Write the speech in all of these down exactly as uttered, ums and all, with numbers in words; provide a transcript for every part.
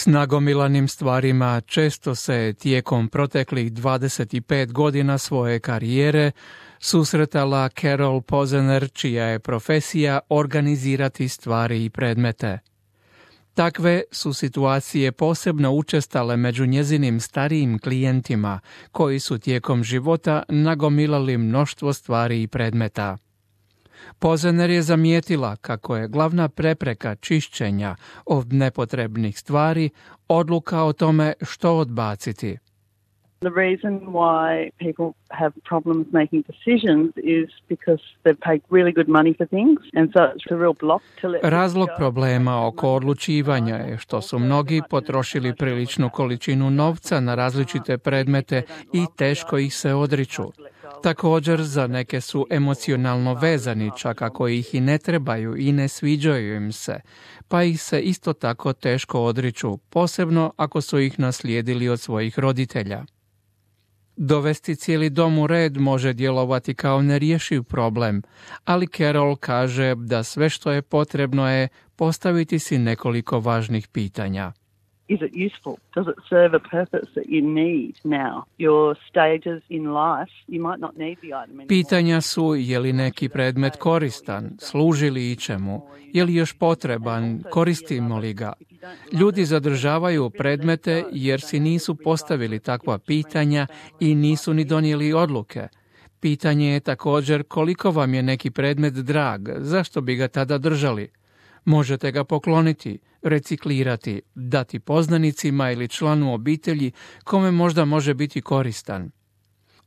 S nagomilanim stvarima često se tijekom proteklih dvadeset pet godina svoje karijere susretala Carol Pozener, čija je profesija organizirati stvari i predmete. Takve su situacije posebno učestale među njezinim starijim klijentima, koji su tijekom života nagomilali mnoštvo stvari i predmeta. Pozener je zamijetila kako je glavna prepreka čišćenja od nepotrebnih stvari odluka o tome što odbaciti. The reason why people have problems making decisions is because they've paid really good money for things, and so it's a real block to let. Razlog problema oko odlučivanja je što su mnogi potrošili priličnu količinu novca na različite predmete i teško ih se odriču. Također, za neke su emocionalno vezani, čak ako ih i ne trebaju i ne sviđaju im se, pa ih se isto tako teško odriču, posebno ako su ih naslijedili od svojih roditelja. Dovesti cijeli dom u red može djelovati kao nerješiv problem, ali Carol kaže da sve što je potrebno je postaviti si nekoliko važnih pitanja. Is it useful? Does it serve a purpose that you need now? Your stages in life, you might not need the item anymore. Pitanja su je li neki predmet koristan, služi li ičemu, je li još potreban, koristimo li ga. Ljudi zadržavaju predmete jer si nisu postavili takva pitanja i nisu ni donijeli odluke. Pitanje je također koliko vam je neki predmet drag, zašto bi ga tada držali? Možete ga pokloniti, reciklirati, dati poznanicima ili članu obitelji kome možda može biti koristan.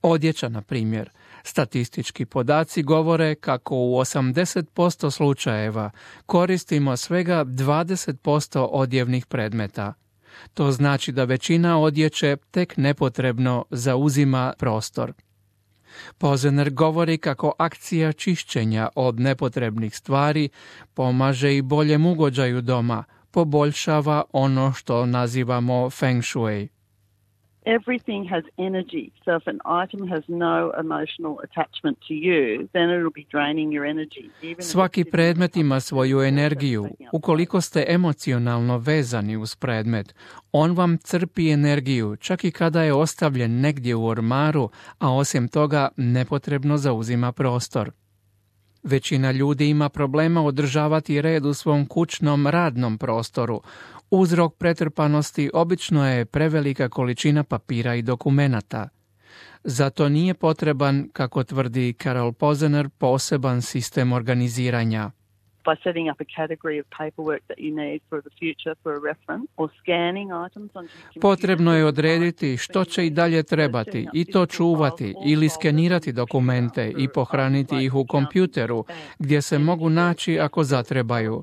Odjeća, na primjer. Statistički podaci govore kako u osamdeset posto slučajeva koristimo svega dvadeset posto odjevnih predmeta. To znači da većina odjeće tek nepotrebno zauzima prostor. Pozener govori kako akcija čišćenja od nepotrebnih stvari pomaže i boljem ugođaju doma, poboljšava ono što nazivamo feng shui. Everything has energy, so if an item has no emotional attachment to you, then it'll be draining your energy. Even Svaki predmet ima svoju energiju. Ukoliko ste emocionalno vezani uz predmet, on vam crpi energiju, čak i kada je ostavljen negdje u ormaru, a osim toga nepotrebno zauzima prostor. Većina ljudi ima problema održavati red u svom kućnom radnom prostoru. Uzrok pretrpanosti obično je prevelika količina papira i dokumenata. Zato nije potreban, kako tvrdi Carol Pozener, poseban sistem organiziranja. by setting up a category of paperwork that you need for the future for a reference or scanning items onto your computer. Potrebno je odrediti što će i dalje trebati i to čuvati ili skenirati dokumente i pohraniti ih u kompjuteru gdje se mogu naći ako zatrebaju.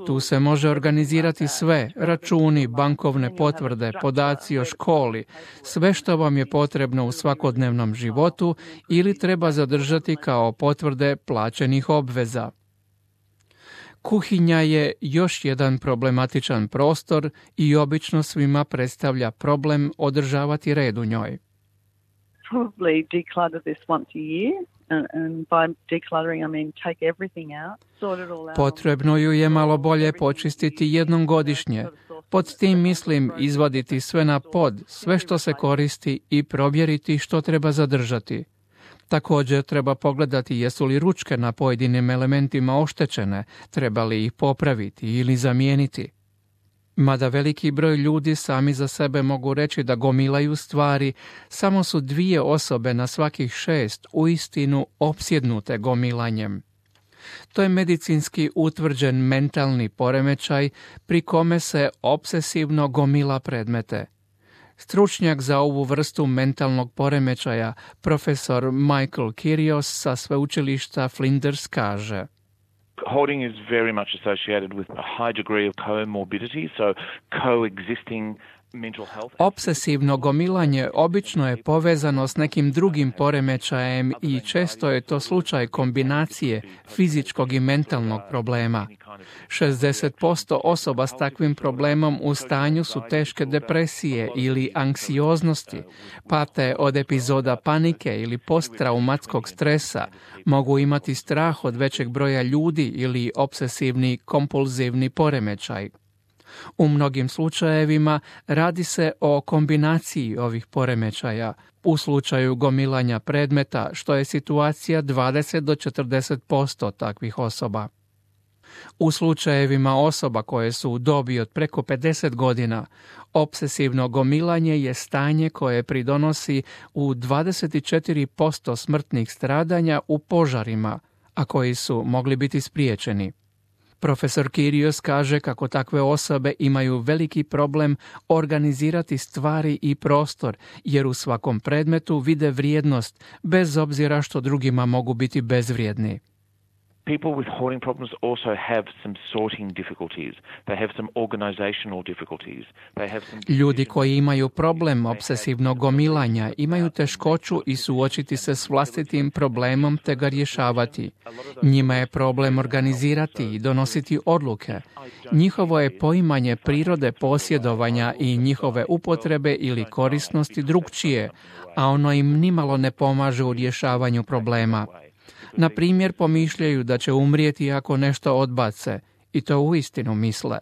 Tu se može organizirati sve, računi, bankovne potvrde, podaci o školi, sve što vam je potrebno u svakodnevnom životu ili treba zadržati kao potvrde plaćenih obveza. Kuhinja je još jedan problematičan prostor i obično svima predstavlja problem održavati red u njoj. Probably declutter this once a year. And, and by decluttering, I mean take everything out, sort it all out. Potrebno ju je malo bolje počistiti jednom godišnje. Pod tim mislim izvaditi sve na pod, sve što se koristi i provjeriti što treba zadržati. Također treba pogledati jesu li ručke na pojedinim elementima oštećene, treba li ih popraviti ili zamijeniti. Mada veliki broj ljudi sami za sebe mogu reći da gomilaju stvari, samo su dvije osobe na svakih šest uistinu opsjednute gomilanjem. To je medicinski utvrđen mentalni poremećaj pri kome se obsesivno gomila predmete. Stručnjak za ovu vrstu mentalnog poremećaja, profesor Michael Kyrios sa sveučilišta Flinders kaže: Hoarding is very much associated with a high degree of comorbidity, so coexisting mental health. Obsesivno gomilanje obično je povezano s nekim drugim poremećajem i često je to slučaj kombinacije fizičkog i mentalnog problema. šezdeset posto osoba s takvim problemom u stanju su teške depresije ili anksioznosti, pate od epizoda panike ili posttraumatskog stresa, mogu imati strah od većeg broja ljudi ili obsesivni kompulzivni poremećaj. U mnogim slučajevima radi se o kombinaciji ovih poremećaja. U slučaju gomilanja predmeta, što je situacija dvadeset do četrdeset posto takvih osoba. U slučajevima osoba koje su u dobi od preko pedeset godina, obsesivno gomilanje je stanje koje pridonosi u dvadeset četiri posto smrtnih stradanja u požarima, a koji su mogli biti spriječeni. Profesor Kyrios kaže kako takve osobe imaju veliki problem organizirati stvari i prostor, jer u svakom predmetu vide vrijednost, bez obzira što drugima mogu biti bezvrijedni. People with hoarding problems also have some sorting difficulties. They have some organizational difficulties. They have some Ljudi koji imaju problem obsesivnog gomilanja imaju teškoću i suočiti se s vlastitim problemom te ga rješavati. Njima je problem organizirati i donositi odluke. Njihovo je poimanje prirode posjedovanja i njihove upotrebe ili korisnosti drukčije, a ono im nimalo ne pomaže u rješavanju problema. Na primjer, pomišljaju da će umrijeti ako nešto odbace, i to uistinu misle.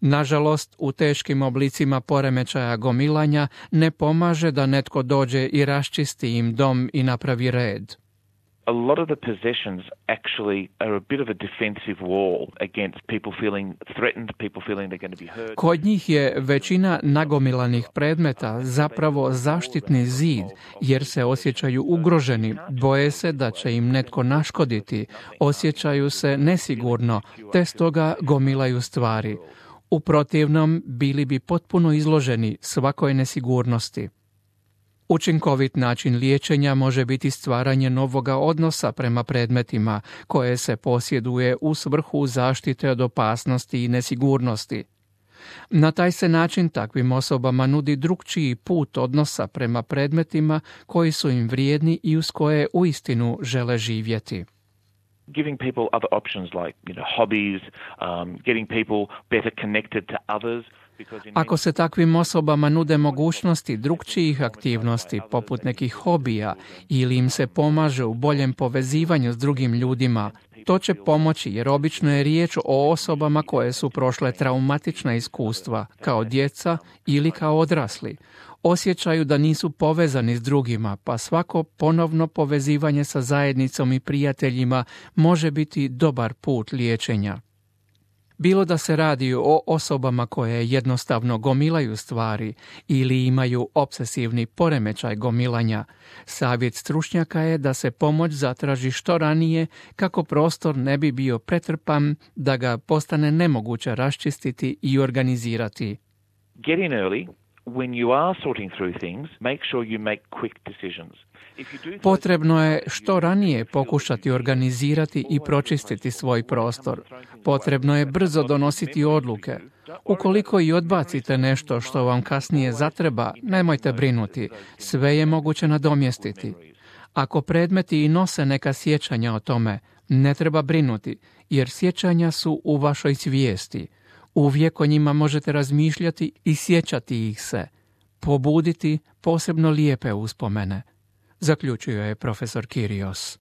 Nažalost, u teškim oblicima poremećaja gomilanja ne pomaže da netko dođe i raščisti im dom i napravi red. A lot of the possessions actually are a bit of a defensive wall against people feeling threatened, people feeling they're going to be hurt. Kod njih je većina nagomilanih predmeta zapravo zaštitni zid, jer se osjećaju ugroženi, boje se da će im netko naškoditi, osjećaju se nesigurno, te stoga gomilaju stvari. U protivnom, bili bi potpuno izloženi svakoj nesigurnosti. Učinkovit način liječenja može biti stvaranje novoga odnosa prema predmetima koje se posjeduje u svrhu zaštite od opasnosti i nesigurnosti. Na taj se način takvim osobama nudi drukčiji put odnosa prema predmetima koji su im vrijedni i uz koje uistinu žele živjeti. Giving people other options like, you know, hobbies, um, getting people better connected to others. Ako se takvim osobama nude mogućnosti drukčijih aktivnosti, poput nekih hobija, ili im se pomaže u boljem povezivanju s drugim ljudima, to će pomoći jer obično je riječ o osobama koje su prošle traumatična iskustva, kao djeca ili kao odrasli. Osjećaju da nisu povezani s drugima, pa svako ponovno povezivanje sa zajednicom i prijateljima može biti dobar put liječenja. Bilo da se radi o osobama koje jednostavno gomilaju stvari ili imaju obsesivni poremećaj gomilanja, savjet stručnjaka je da se pomoć zatraži što ranije kako prostor ne bi bio pretrpan, da ga postane nemoguće raščistiti i organizirati. Get in early. When you are sorting through things, make sure you make quick decisions. Potrebno je što ranije pokušati organizirati i pročistiti svoj prostor. Potrebno je brzo donositi odluke. Ukoliko i odbacite nešto što vam kasnije zatreba, nemojte brinuti, sve je moguće nadomjestiti. Ako predmeti i nose neka sjećanja o tome, ne treba brinuti, jer sjećanja su u vašoj svijesti. Uvijek o njima možete razmišljati i sjećati ih se. Pobuditi posebno lijepe uspomene, zaključio je profesor Kyrios.